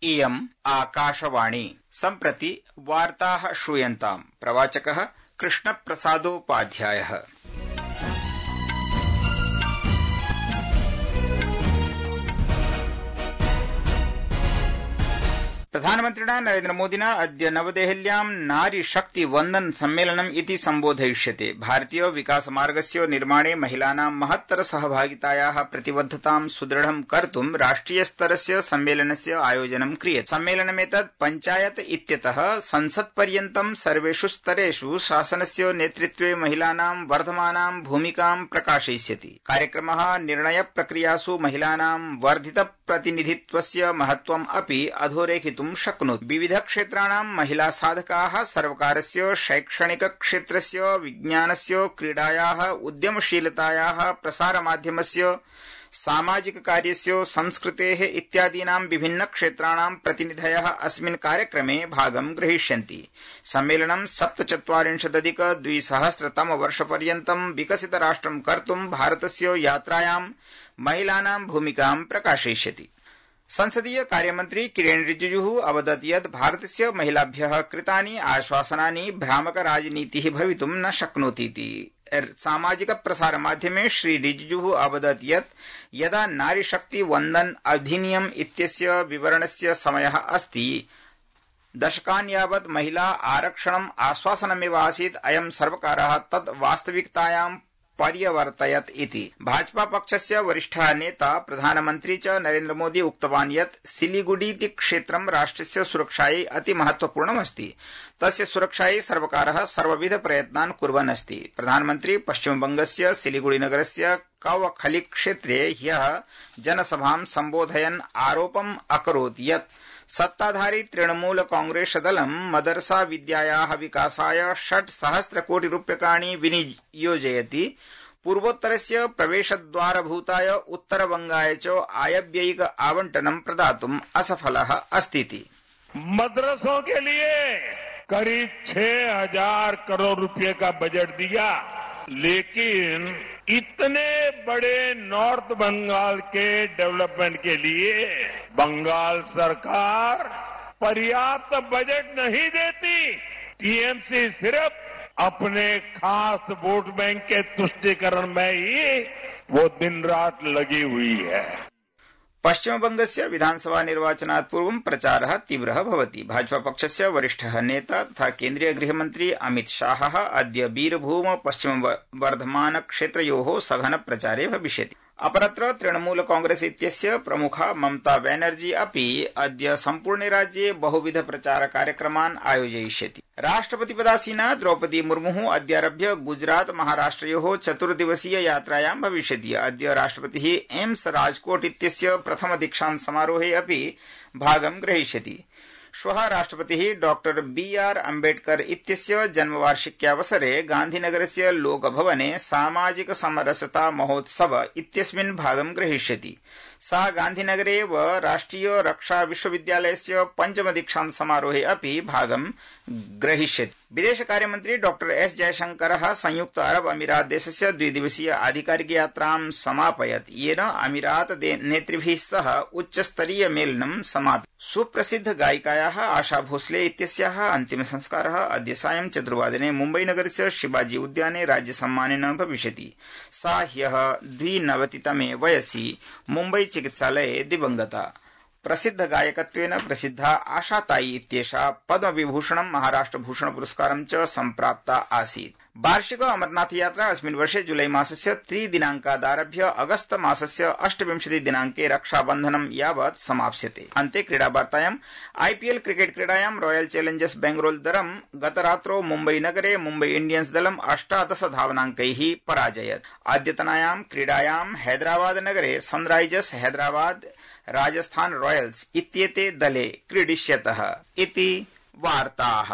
इयम् आकाशवाणी। सम्प्रति वार्ताः श्रूयन्ताम्। प्रवाचकः कृष्णप्रसादोपाध्यायः। प्रधानमन्त्रिणा नरेन्द्रमोदिना अद्य नवदेहल्यां नारी शक्ति वन्दन सम्मेलनम् इति सम्बोधयिष्यते। भारतीय विकासमार्गस्य निर्माणे महिलानां महत्तर सहभागितायाः प्रतिबद्धतां सुदृढं कर्तुं राष्ट्रियस्तरस्य सम्मेलनस्य आयोजनं क्रियते। सम्मेलनमेतत् पञ्चायत इत्यतः संसत्पर्यन्तं सर्वेषु स्तरेषु शासनस्य नेतृत्वे महिलानां वर्धमानां भूमिकां प्रकाशयिष्यति। कार्यक्रमः निर्णयप्रक्रियासु महिलानां वर्धित प्रतिनिधित्वस्य महत्त्वम् अपि अधोरेखितुं शक्नोति। विविध क्षेत्राणां महिला साधकाः सर्वकारस्य शैक्षणिक क्षेत्रस्य, विज्ञानस्य, क्रीडायाः, उद्यमशीलतायाः, प्रसारमाध्यमस्य, सामाजिक कार्यस्य, संस्कृतेः इत्यादीनां विभिन्न क्षेत्राणां प्रतिनिधयः अस्मिन् कार्यक्रमे भागं ग्रहीष्यन्ति। सम्मेलनं 47,200 विकसित राष्ट्रं कर्तुं भारतस्य यात्रायां महिलानां भूमिकां प्रकाशयिष्यति। संसदीय कार्यमन्त्री किरेन रिजिजुः अवदत् यत् भारतस्य महिलाभ्यः कृतानि आश्वासनानि भ्रामक राजनीतिः भवितुं न शक्नोतीति। सामाजिक प्रसारमाध्यमे श्री रिजिजुः अवदत् यत् यदा नारीशक्ति वन्दन अधिनियम इत्यस्य विवरणस्य समयः अस्ति, दशकान् यावत् महिला आरक्षणम् आश्वासनमेव आसीत्, अयं सर्वकारः तत् वास्तविकतायां पर्यवर्तयत् इति। भाजपा पक्षस्य वरिष्ठः नेता प्रधानमन्त्री च नरेन्द्र मोदी उक्तवान् यत् सिलीगुडीति क्षेत्रं राष्ट्रस्य सुरक्षायै अति महत्वपूर्णमस्ति। तस्य सुरक्षायै सर्वकारः सर्वविध प्रयत्नान् कुर्वन् अस्ति। प्रधानमन्त्री पश्चिमबंगस्य सिलीगुडीनगरस्य कवखली क्षेत्रे ह्यः जनसभां सम्बोधयन् आरोपम् अकरोत् यत् सत्ताधारी तृणमूल कांग्रेस दलं मदरसा विद्यायाः विकासाय 6,000 कोटि रूप्यकाणि विनियोजयति, पूर्वोत्तरस्य प्रवेशद्वारभूताय उत्तरबंगाय च आयव्ययिक आवंटनं प्रदातुम् असफलः अस्तीति। मदरसों के लिए करीब 6,000 करोड़ रुपए का बजट दिया, लेकिन इतने बड़े नॉर्थ बंगाल के डेवलपमेंट के लिए बंगाल सरकार पर्याप्त बजट नहीं देती। टीएमसी सिर्फ अपने खास वोट बैंक के तुष्टीकरण में ही वो दिन रात लगी हुई है। पश्चिमबंगस्य विधानसभा निर्वाचनात् पूर्वं प्रचारः तीव्रः भवति। भाजपा पक्षस्य वरिष्ठः नेता तथा केन्द्रीय गृहमन्त्री अमित शाहः अद्य बीरभूम पश्चिम वर्धमान क्षेत्रयोः सघन प्रचारे भविष्यति। अपरत्र तृणमूल कांग्रेस इत्यस्य प्रमुखा ममता बनर्जी अपि अद्य सम्पूर्णे राज्ये बहुविध प्रचार कार्यक्रमान् आयोजयिष्यति। राष्ट्रपतिपदासीना द्रौपदी मुर्मुः अद्यारभ्य गुजरात महाराष्ट्रयोः 4 दिवसीय यात्रायां भविष्यति। अद्य राष्ट्रपतिः एम्स राजकोट इत्यस्य प्रथम दीक्षान्त समारोहे अपि भागं ग्रहीष्यति। श्वः राष्ट्रपतिः डॉक्टर बी.आर. अम्बेडकर इत्यस्य जन्मवार्षिक्यावसरे गान्धीनगरस्य लोकभवने सामाजिक समरसता महोत्सव इत्यस्मिन् भागं ग्रहीष्यति। सा गान्धीनगरे एव राष्ट्रिय रक्षा विश्वविद्यालयस्य पंचम दीक्षान्त समारोहे अपि भागं ग्रहीष्यति। विदेशकार्यमन्त्री डॉक्टर एस जयशंकरः संयुक्त अरब अमीरात देशस्य 2 दिवसीय आधिकारिक यात्रां समापयत्, येन अमीरात नेतृभिः सह उच्चस्तरीय मेलनं समापितम्। सुप्रसिद्ध गायिकायाः आशा भोसले इत्यस्याः अन्तिम संस्कारः अद्य सायं 4 वादने मुम्बईनगरस्य शिवाजी उद्याने राज्यसम्मानेन भविष्यति। सा ह्यः 92तमे वयसि मुम्बई चिकित्सालये दिवंगता। प्रसिद्ध गायकत्वेन प्रसिद्धा आशा ताई इत्येषा पद्मविभूषणं, महाराष्ट्रभूषण पुरस्कारं च सम्प्राप्ता आसीत्। वार्षिक अमरनाथ यात्रा अस्मिन् वर्षे जुलै मासस्य 3 दिनाङ्कादारभ्य अगस्त मासस्य 28 दिनाङ्के रक्षाबन्धनं यावत् समाप्स्यते। अन्ते क्रीडावार्तायाम् आईपीएल क्रिकेट क्रीडायां रॉयल चैलेंजर्स बेंगळूरू दलं गतरात्रौ मुम्बईनगरे मुम्बई इंडियन्स दलं 18 धावनाङ्कैः पराजयत्। अद्यतनायां क्रीडायां हैदराबादनगरे सनराइजर्स हैदराबाद राजस्थान रॉयल्स इत्येते दले क्रीडिष्यतः इति वार्ताः।